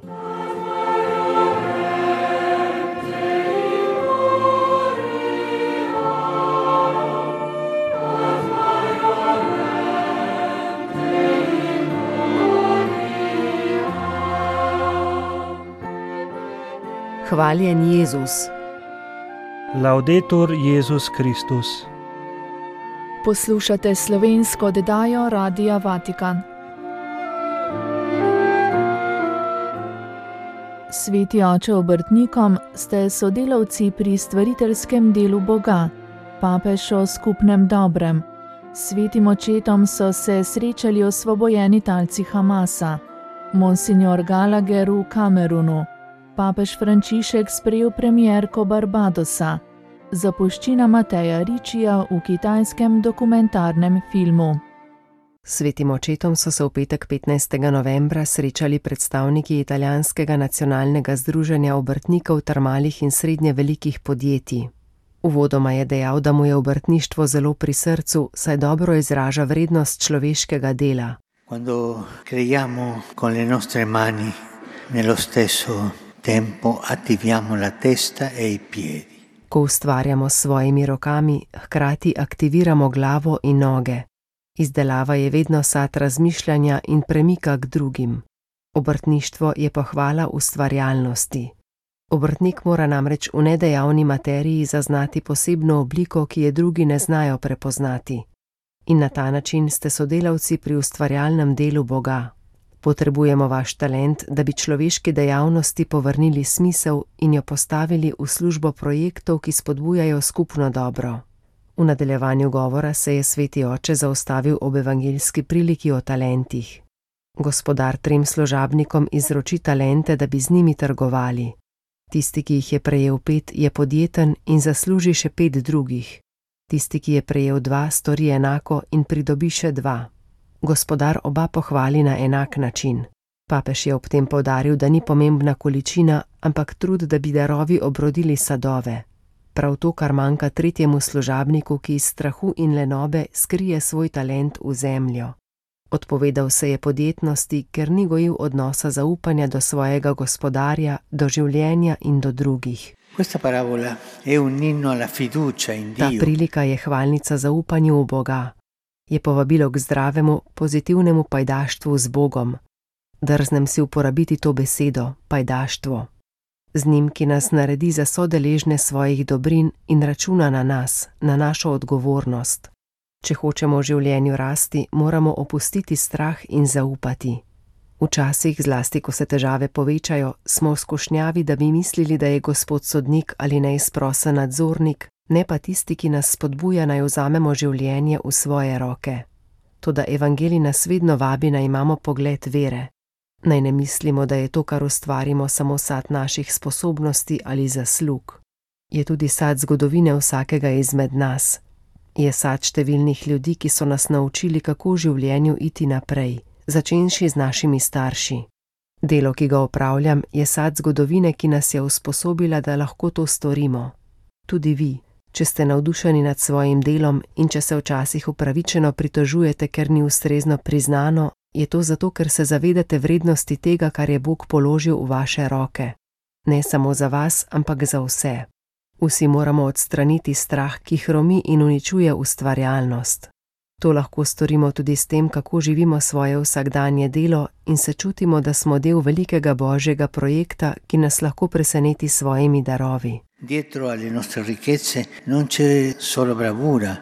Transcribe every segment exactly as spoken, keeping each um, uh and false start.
Hvaljen Jezus. Laudetur Jezus Kristus. Poslušate slovensko oddajo Radia Vatikan. Sveti oče obrtnikom ste sodelavci pri stvariteljskem delu Boga, papež o skupnem dobrem. S svetim očetom so se srečali osvobojeni talci Hamasa, monsignor Gallagher v Kamerunu, papež Frančišek sprejel premierko Barbadosa, zapuščina Mateja Riccija v kitajskem dokumentarnem filmu. S svetim očetom so se v petek petnajstega novembra srečali predstavniki italijanskega nacionalnega združenja obrtnikov ter malih in srednje velikih podjetij. Uvodoma je dejal, da mu je obrtništvo zelo pri srcu, saj dobro izraža vrednost človeškega dela. Quando creiamo con le nostre mani, nello stesso tempo attiviamo la testa e i piedi. Ko ustvarjamo s svojimi rokami, hkrati aktiviramo glavo in noge. Izdelava je vedno sad razmišljanja in premika k drugim. Obrtništvo je pohvala ustvarjalnosti. Obrtnik mora namreč v nedejavni materiji zaznati posebno obliko, ki je drugi ne znajo prepoznati. In na ta način ste sodelavci pri ustvarjalnem delu Boga. Potrebujemo vaš talent, da bi človeški dejavnosti povrnili smisel in jo postavili v službo projektov, ki spodbujajo skupno dobro. V nadaljevanju govora se je sveti oče zaustavil ob evangeljski priliki o talentih. Gospodar trem služabnikom izroči talente, da bi z njimi trgovali. Tisti, ki jih je prejel pet, je podjeten in zasluži še pet drugih. Tisti, ki je prejel dva, stori enako in pridobi še dva. Gospodar oba pohvali na enak način. Papež je ob tem poudaril, da ni pomembna količina, ampak trud, da bi darovi obrodili sadove. Prav to, kar manjka tretjemu služabniku, ki iz strahu in lenobe skrije svoj talent v zemljo. Odpovedal se je podjetnosti, ker ni gojil odnosa zaupanja do svojega gospodarja, do življenja in do drugih. Questa parabola è un inno alla fiducia in Dio. Ta prilika je hvalnica zaupanju v Boga. Je povabilo k zdravemu, pozitivnemu pajdaštvu z Bogom. Drznem si uporabiti to besedo, pajdaštvo. Z njim, ki nas naredi za sodeležne svojih dobrin in računa na nas, na našo odgovornost. Če hočemo v življenju rasti, moramo opustiti strah in zaupati. Včasih, zlasti ko se težave povečajo, smo v skušnjavi, da bi mislili, da je Gospod sodnik ali neizprosen nadzornik, ne pa tisti, ki nas spodbuja, naj vzamemo življenje v svoje roke. Toda evangelij nas vedno vabi, naj imamo pogled vere. Naj ne mislimo, da je to, kar ustvarimo, samo sad naših sposobnosti ali zaslug. Je tudi sad zgodovine vsakega izmed nas. Je sad številnih ljudi, ki so nas naučili, kako v življenju iti naprej, začenši z našimi starši. Delo, ki ga opravljam, je sad zgodovine, ki nas je usposobila, da lahko to storimo. Tudi vi, če ste navdušeni nad svojim delom in če se včasih upravičeno pritožujete, ker ni ustrezno priznano, je to zato, ker se zavedate vrednosti tega, kar je Bog položil v vaše roke. Ne samo za vas, ampak za vse. Vsi moramo odstraniti strah, ki hromi in uničuje ustvarjalnost. To lahko storimo tudi s tem, kako živimo svoje vsakdanje delo in se čutimo, da smo del velikega božjega projekta, ki nas lahko preseneti s svojimi darovi. Dietro alle nostre ricchezze non c'è solo bravura,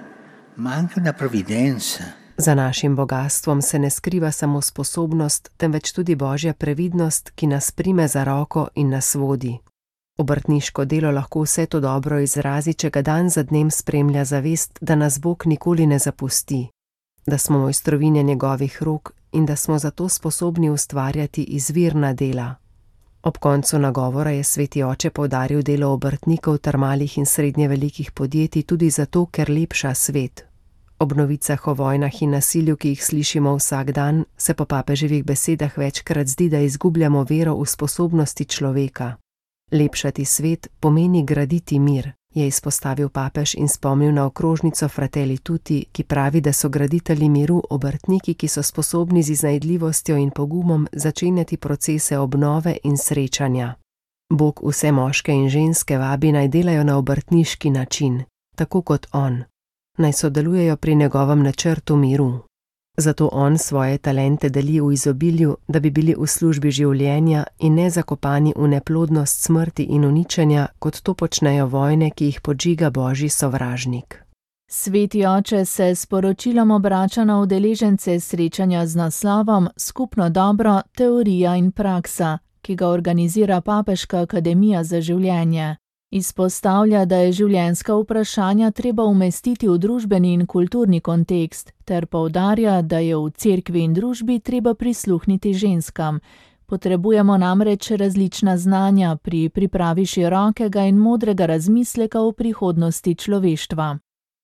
ma anche una provvidenza. Za našim bogatstvom se ne skriva samo sposobnost, temveč tudi božja previdnost, ki nas prime za roko in nas vodi. Obrtniško delo lahko vse to dobro izrazi, če ga dan za dnem spremlja zavest, da nas Bog nikoli ne zapusti, da smo mojstrovinje njegovih rok in da smo zato sposobni ustvarjati izvirna dela. Ob koncu nagovora je sveti oče poudaril delo obrtnikov ter malih in srednje velikih podjetij tudi zato, ker lepša svet. Ob novicah o vojnah in nasilju, ki jih slišimo vsak dan, se po papeževih besedah večkrat zdi, da izgubljamo vero v sposobnosti človeka. Lepšati svet pomeni graditi mir, je izpostavil papež in spomnil na okrožnico Fratelli Tutti, ki pravi, da so graditelji miru obrtniki, ki so sposobni z iznajdljivostjo in pogumom začenjati procese obnove in srečanja. Bog vse moške in ženske vabi naj delajo na obrtniški način, tako kot on. Naj sodelujejo pri njegovem načrtu miru. Zato on svoje talente deli v izobilju, da bi bili v službi življenja in ne zakopani v neplodnost smrti in uničenja, kot to počnejo vojne, ki jih podžiga božji sovražnik. Sveti oče se s poročilom obrača na udeležence srečanja z naslovom Skupno dobro, teorija in praksa, ki ga organizira Papeška akademija za življenje. Izpostavlja, da je življenjska vprašanja treba umestiti v družbeni in kulturni kontekst, ter poudarja, da je v cerkvi in družbi treba prisluhniti ženskam. Potrebujemo namreč različna znanja pri pripravi širokega in modrega razmisleka o prihodnosti človeštva.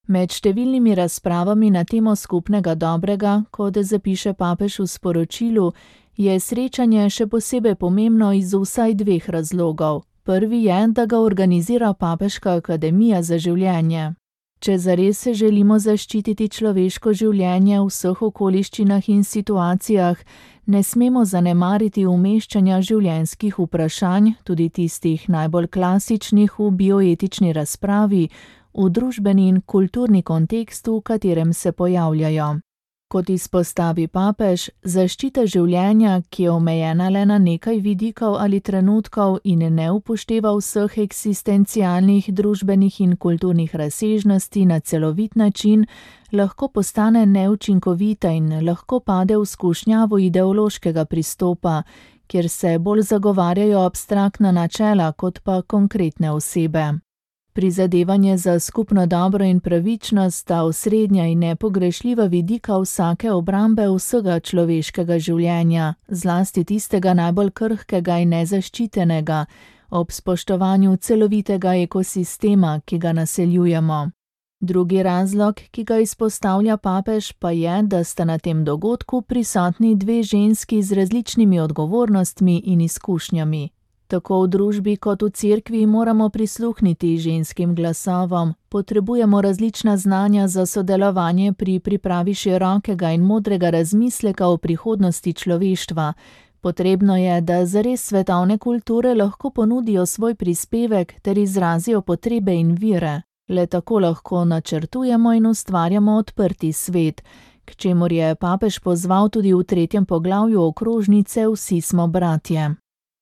Med številnimi razpravami na temo skupnega dobrega, kot zapiše papež v sporočilu, je srečanje še posebej pomembno iz vsaj dveh razlogov. Prvi je, da ga organizira Papeška akademija za življenje. Če zares se želimo zaščititi človeško življenje v vseh okoliščinah in situacijah, ne smemo zanemariti umeščanja življenjskih vprašanj, tudi tistih najbolj klasičnih v bioetični razpravi, v družbeni in kulturni kontekst, v katerem se pojavljajo. Kot izpostavi papež, zaščita življenja, ki je omejena le na nekaj vidikov ali trenutkov in ne upošteva vseh eksistencialnih, družbenih in kulturnih razsežnosti na celovit način, lahko postane neučinkovita in lahko pade v skušnjavo ideološkega pristopa, kjer se bolj zagovarjajo abstraktna načela kot pa konkretne osebe. Prizadevanje za skupno dobro in pravičnost sta osrednja in nepogrešljiva vidika vsake obrambe vsega človeškega življenja, zlasti tistega najbolj krhkega in nezaščitenega, ob spoštovanju celovitega ekosistema, ki ga naseljujemo. Drugi razlog, ki ga izpostavlja papež, pa je, da sta na tem dogodku prisotni dve ženski z različnimi odgovornostmi in izkušnjami. Tako v družbi kot v cerkvi moramo prisluhniti ženskim glasovom, potrebujemo različna znanja za sodelovanje pri pripravi širokega in modrega razmisleka o prihodnosti človeštva. Potrebno je, da zares svetovne kulture lahko ponudijo svoj prispevek ter izrazijo potrebe in vire. Le tako lahko načrtujemo in ustvarjamo odprti svet, k čemur je papež pozval tudi v tretjem poglavju okrožnice Vsi smo bratje.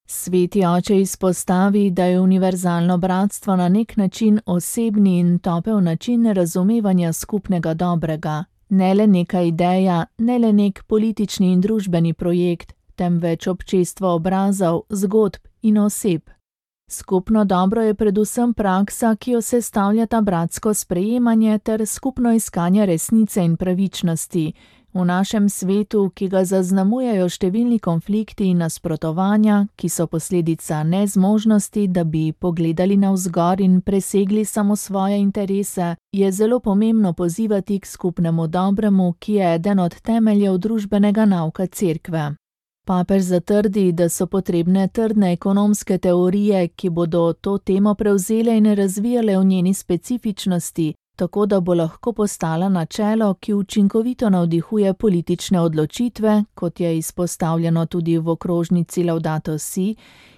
Sveti oče izpostavi, da je univerzalno bratstvo na nek način osebni in topel način razumevanja skupnega dobrega. Ne le neka ideja, ne le nek politični in družbeni projekt, temveč občestvo obrazov, zgodb in oseb. Skupno dobro je predvsem praksa, ki jo sestavljata bratsko sprejemanje ter skupno iskanje resnice in pravičnosti. V našem svetu, ki ga zaznamujejo številni konflikti in nasprotovanja, ki so posledica nezmožnosti, da bi pogledali navzgor in presegli samo svoje interese, je zelo pomembno pozivati k skupnemu dobremu, ki je eden od temeljev družbenega nauka cerkve. Papež zatrdi, da so potrebne trdne ekonomske teorije, ki bodo to temo prevzele in razvijale v njeni specifičnosti, tako da bo lahko postala načelo, ki učinkovito navdihuje politične odločitve, kot je izpostavljeno tudi v okrožnici Laudato Si,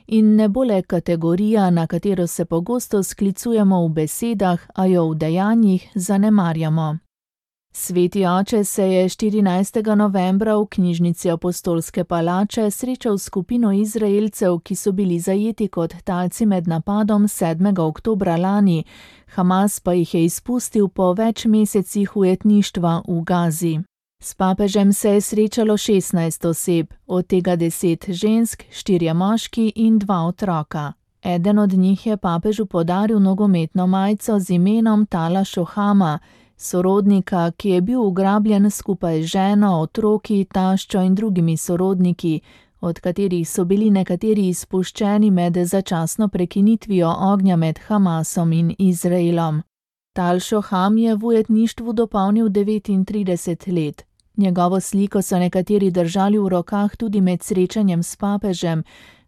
in ne bo le kategorija, na katero se pogosto sklicujemo v besedah, a jo v dejanjih zanemarjamo. Sveti oče se je štirinajstega novembra v knjižnici Apostolske palače srečal s skupino Izraelcev, ki so bili zajeti kot talci med napadom sedmega oktobra lani, Hamas pa jih je izpustil po več mesecih ujetništva v Gazi. S papežem se je srečalo šestnajst oseb, od tega deset žensk, štirje moški in dva otroka. Eden od njih je papežu podaril nogometno majico z imenom Tala Šohama, sorodnika, ki je bil ugrabljen skupaj z ženo, otroki, taščo in drugimi sorodniki, od katerih so bili nekateri izpuščeni med začasno prekinitvijo ognja med Hamasom in Izraelom. Tal Šoham je v ujetništvu dopolnil devetintrideset let. Njegovo sliko so nekateri držali v rokah tudi med srečanjem s papežem,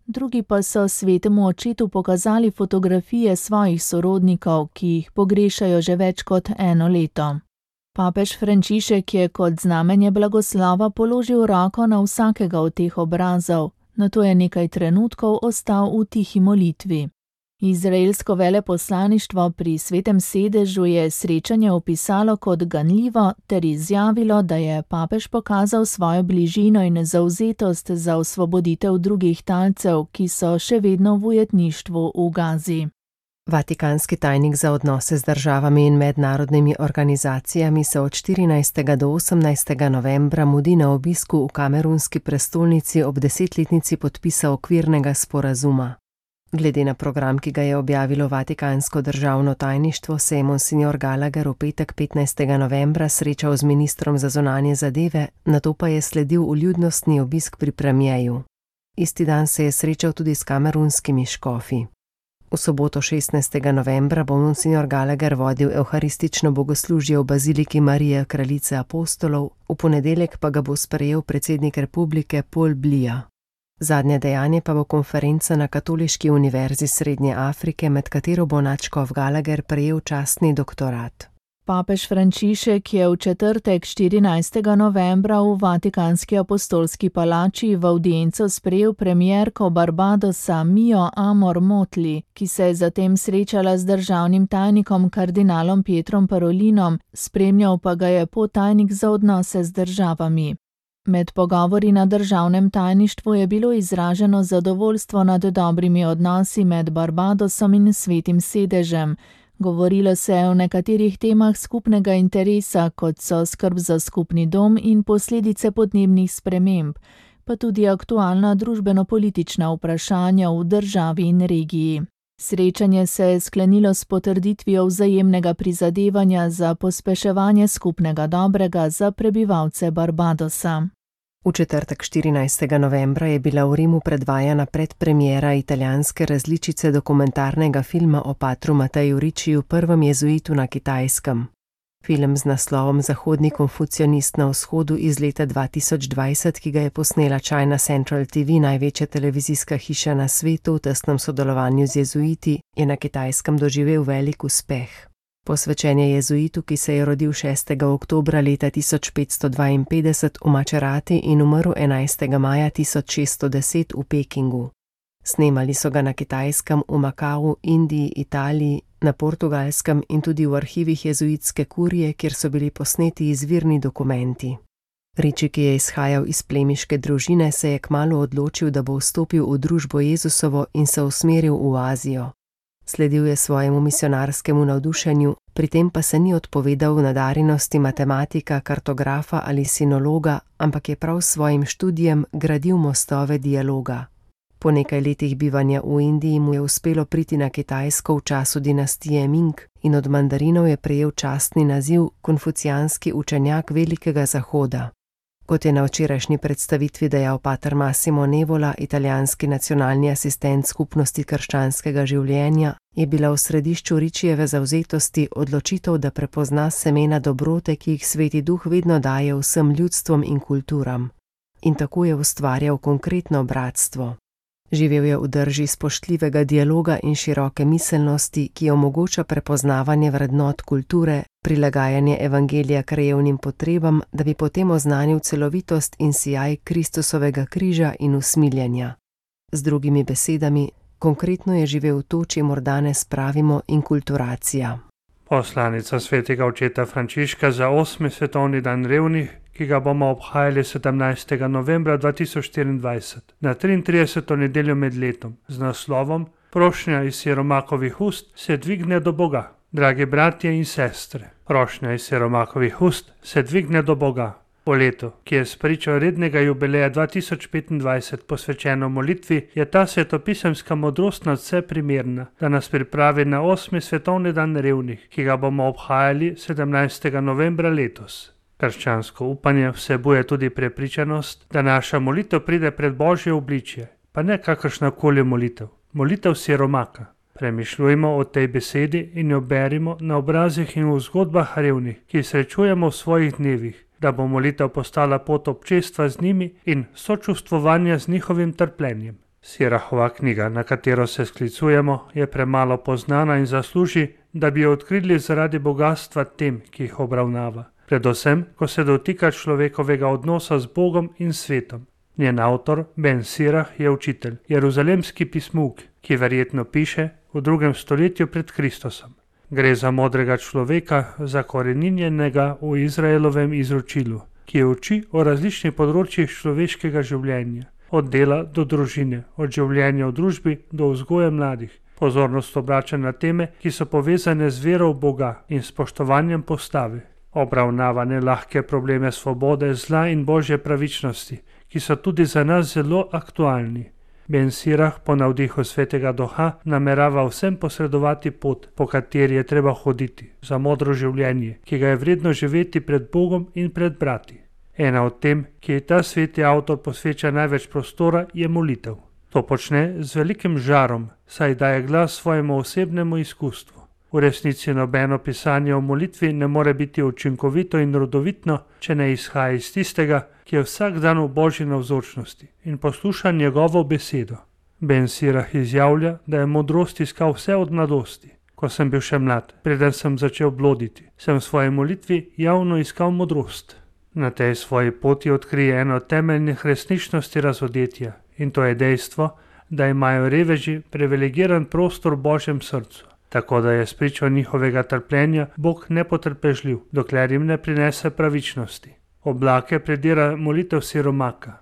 drugi pa so svetemu očetu pokazali fotografije svojih sorodnikov, ki jih pogrešajo že več kot eno leto. Papež Frančišek je kot znamenje blagoslova položil roko na vsakega od teh obrazov, nato je nekaj trenutkov ostal v tihi molitvi. Izraelsko veleposlaništvo pri Svetem sedežu je srečanje opisalo kot ganljivo ter izjavilo, da je papež pokazal svojo bližino in zavzetost za osvoboditev drugih talcev, ki so še vedno v ujetništvu v Gazi. Vatikanski tajnik za odnose z državami in mednarodnimi organizacijami se od štirinajstega do osemnajstega novembra mudi na obisku v kamerunski prestolnici ob desetletnici podpisa okvirnega sporazuma. Glede na program, ki ga je objavilo Vatikansko državno tajništvo, se je monsignor Gallagher v petek petnajstega novembra srečal z ministrom za zunanje zadeve, nato pa je sledil vljudnostni obisk pri premierju. Isti dan se je srečal tudi s kamerunskimi škofi. V soboto šestnajstega novembra bo monsignor Gallagher vodil evharistično bogoslužje v baziliki Marije kraljice apostolov, v ponedeljek pa ga bo sprejel predsednik republike Paul Biya. Zadnje dejanje pa bo konferenca na Katoliški univerzi Srednje Afrike, med katero bo nadškof Gallagher prejel častni doktorat. Papež Frančišek je v četrtek štirinajstega novembra v Vatikanski apostolski palači v avdienco sprejel premierko Barbadosa Mijo Amor Motley, ki se je zatem srečala z državnim tajnikom kardinalom Pietrom Parolinom, spremljal pa ga je podtajnik za odnose z državami. Med pogovori na državnem tajništvu je bilo izraženo zadovoljstvo nad dobrimi odnosi med Barbadosom in Svetim sedežem. Govorilo se je o nekaterih temah skupnega interesa, kot so skrb za skupni dom in posledice podnebnih sprememb, pa tudi aktualna družbeno-politična vprašanja v državi in regiji. Srečanje se je sklenilo s potrditvijo vzajemnega prizadevanja za pospeševanje skupnega dobrega za prebivalce Barbadosa. V četrtek štirinajstega novembra je bila v Rimu predvajana predpremiera italijanske različice dokumentarnega filma o patru Mateju Ricciu, prvem jezuitu na Kitajskem. Film z naslovom Zahodni konfucionist na vzhodu iz leta dva tisoč dvajset, ki ga je posnela China Central T V, največja televizijska hiša na svetu v tesnem sodelovanju z jezuiti, je na Kitajskem doživel velik uspeh. Posvečen je jezuitu, ki se je rodil šestega oktobra leta tisoč petsto dvainpetdeset v Macerati in umrl enajstega maja tisoč šeststo deset v Pekingu. Snemali so ga na Kitajskem, v Makau, Indiji, Italiji, na Portugalskem in tudi v arhivih jezuitske kurije, kjer so bili posneti izvirni dokumenti. Ricci, ki je izhajal iz plemiške družine, se je kmalu odločil, da bo vstopil v družbo Jezusovo in se usmeril v Azijo. Sledil je svojemu misionarskemu navdušenju, pri tem pa se ni odpovedal nadarjenosti matematika, kartografa ali sinologa, ampak je prav s svojim študijem gradil mostove dialoga. Po nekaj letih bivanja v Indiji mu je uspelo priti na Kitajsko v času dinastije Ming in od mandarinov je prejel častni naziv konfucijanski učenjak Velikega Zahoda. Kot je na včerajšnji predstavitvi dejal pater Massimo Nevola, italijanski nacionalni asistent skupnosti krščanskega življenja, je bila v središču Riccijeve zavzetosti odločitev, da prepozna semena dobrote, ki jih Sveti Duh vedno daje vsem ljudstvom in kulturam. In tako je ustvarjal konkretno bratstvo. Živel je v drži spoštljivega dialoga in široke miselnosti, ki omogoča prepoznavanje vrednot kulture, prilagajanje evangelija krajevnim potrebam, da bi potem oznanil celovitost in sijaj Kristusovega križa in usmiljenja. Z drugimi besedami, konkretno je živel to, čemur danes pravimo inkulturacija. Poslanica svetega očeta Frančiška za osmi svetovni dan revnih, ki ga bomo obhajali sedemnajstega novembra dva tisoč štiriindvajset, na triintrideseto nedeljo med letom, z naslovom Prošnja iz siromakovih ust se dvigne do Boga. Dragi bratje in sestre, prošnja iz siromakovih ust se dvigne do Boga. Po letu, ki je spričo rednega jubileja dva tisoč petindvajset posvečeno molitvi, je ta svetopisemska modrost nadvse primerna, da nas pripravi na osmi svetovni dan revnih, ki ga bomo obhajali sedemnajstega novembra letos. Krščansko upanje vsebuje tudi prepričanost, da naša molitev pride pred Božje obličje, pa ne kakršnakoli molitev, molitev siromaka. Premišljujmo o tej besedi in jo berimo na obrazih in v zgodbah revnih, ki jih srečujemo v svojih dnevih, da bo molitev postala pot občestva z njimi in sočustvovanja z njihovim trpljenjem. Sirahova knjiga, na katero se sklicujemo, je premalo poznana in zasluži, da bi jo odkrili zaradi bogatstva tem, ki jih obravnava. Predvsem, ko se dotika človekovega odnosa z Bogom in svetom. Njen avtor, Ben Sirah, je učitelj, jeruzalemski pismuk, ki verjetno piše v drugem stoletju pred Kristusom. Gre za modrega človeka, zakoreninjenega v Izraelovem izročilu, ki uči o različnih področjih človeškega življenja, od dela do družine, od življenja v družbi do vzgoje mladih. Pozornost obrača na teme, ki so povezane z vero v Boga in spoštovanjem postave. Obravnava nelahke probleme svobode, zla in božje pravičnosti, ki so tudi za nas zelo aktualni. Ben Sirah po navdihu svetega duha namerava vsem posredovati pot, po kateri je treba hoditi, za modro življenje, ki ga je vredno živeti pred Bogom in pred brati. Ena od tem, ki je ta sveti avtor posveča največ prostora, je molitev. To počne z velikim žarom, saj daje glas svojemu osebnemu izkustvu. V resnici nobeno pisanje o molitvi ne more biti učinkovito in rodovitno, če ne izhaja iz tistega, ki je vsak dan v božji navzočnosti in posluša njegovo besedo. Ben Sirah izjavlja, da je modrost iskal vse od mladosti. Ko sem bil še mlad, preden sem začel bloditi, sem v svoji molitvi javno iskal modrost. Na tej svoji poti odkrije eno temeljnih resničnosti razodetja, in to je dejstvo, da imajo reveži privilegiran prostor v božjem srcu. Tako da je spričo njihovega trpljenja Bog nepotrpežljiv, dokler jim ne prinese pravičnosti. Oblake predira molitev siromaka.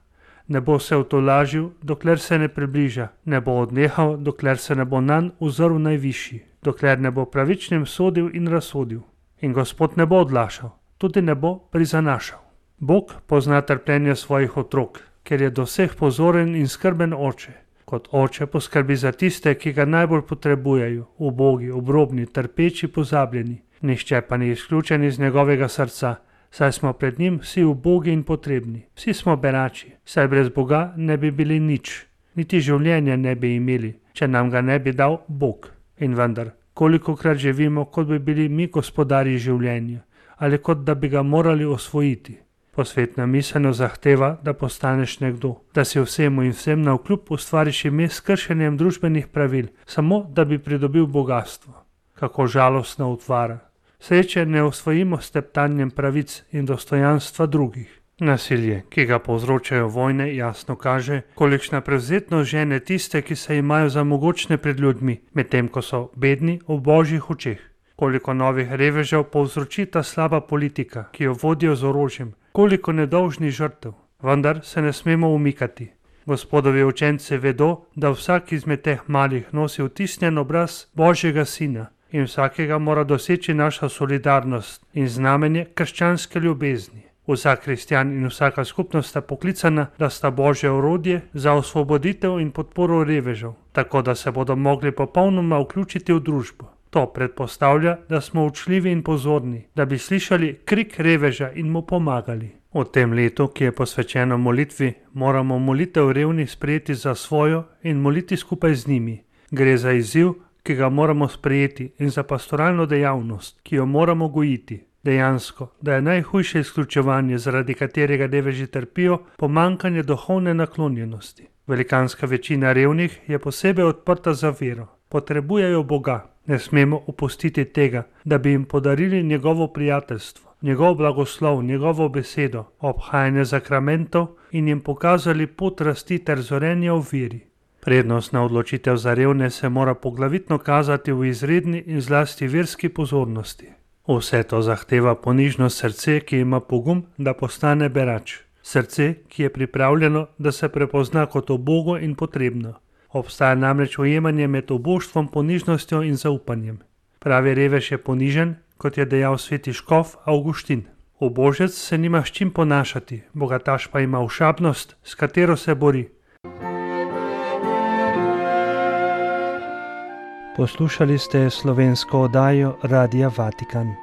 Ne bo se utolažil, dokler se ne približa, ne bo odnehal, dokler se ne bo nanj uzrl najvišji, dokler ne bo pravičnim sodil in razsodil. In Gospod ne bo odlašal, tudi ne bo prizanašal. Bog pozna trpljenje svojih otrok, ker je do vseh pozoren in skrben oče. Kot oče poskrbi za tiste, ki ga najbolj potrebujejo, ubogi, obrobni, trpeči, pozabljeni. Nihče pa ni izključen iz njegovega srca, saj smo pred njim vsi ubogi in potrebni. Vsi smo berači, saj brez Boga ne bi bili nič, niti življenja ne bi imeli, če nam ga ne bi dal Bog. In vendar, kolikokrat živimo, kot bi bili mi gospodarji življenja, ali kot da bi ga morali osvojiti. Posvetna miselnost zahteva, da postaneš nekdo, da si vsemu in vsem navkljub ustvariš ime s kršenjem družbenih pravil, samo da bi pridobil bogastvo. Kako žalostna utvara. Sreče ne osvojimo s teptanjem pravic in dostojanstva drugih. Nasilje, ki ga povzročajo vojne, jasno kaže, kolikšna prevzetnost žene tiste, ki se imajo za mogočne pred ljudmi, medtem ko so bedni v božjih očeh. Koliko novih revežev povzroči ta slaba politika, ki jo vodijo z orožjem, koliko nedolžnih žrtev, vendar se ne smemo umikati. Gospodovi učenci vedo, da vsak izmed teh malih nosi vtisnjen obraz Božjega Sina in vsakega mora doseči naša solidarnost in znamenje krščanske ljubezni. Vsak kristjan in vsaka skupnost sta poklicana, da sta Božje orodje za osvoboditev in podporo revežev, tako da se bodo mogli popolnoma vključiti v družbo. To predpostavlja, da smo učljivi in pozorni, da bi slišali krik reveža in mu pomagali. V tem letu, ki je posvečeno molitvi, moramo molitev revnih sprejeti za svojo in moliti skupaj z njimi. Gre za izziv, ki ga moramo sprejeti, in za pastoralno dejavnost, ki jo moramo gojiti. Dejansko, da je najhujše izključevanje, zaradi katerega reveži trpijo, pomanjkanje duhovne naklonjenosti. Velikanska večina revnih je posebej odprta za vero. Potrebujejo Boga. Ne smemo opustiti tega, da bi jim podarili njegovo prijateljstvo, njegov blagoslov, njegovo besedo, obhajanje zakramentov in jim pokazali pot rasti ter zorenja v veri. Prednostna odločitev za revne se mora poglavitno kazati v izredni in zlasti verski pozornosti. Vse to zahteva ponižno srce, ki ima pogum, da postane berač. Srce, ki je pripravljeno, da se prepozna kot ubogo in potrebno. Obstaja namreč ujemanje med oboštvom, ponižnostjo in zaupanjem. Pravi revež je ponižen, kot je dejal sveti škof Avguštin. Ubožec se nima s čim ponašati, bogataš pa ima ošabnost, s katero se bori. Poslušali ste slovensko oddajo Radia Vatikan.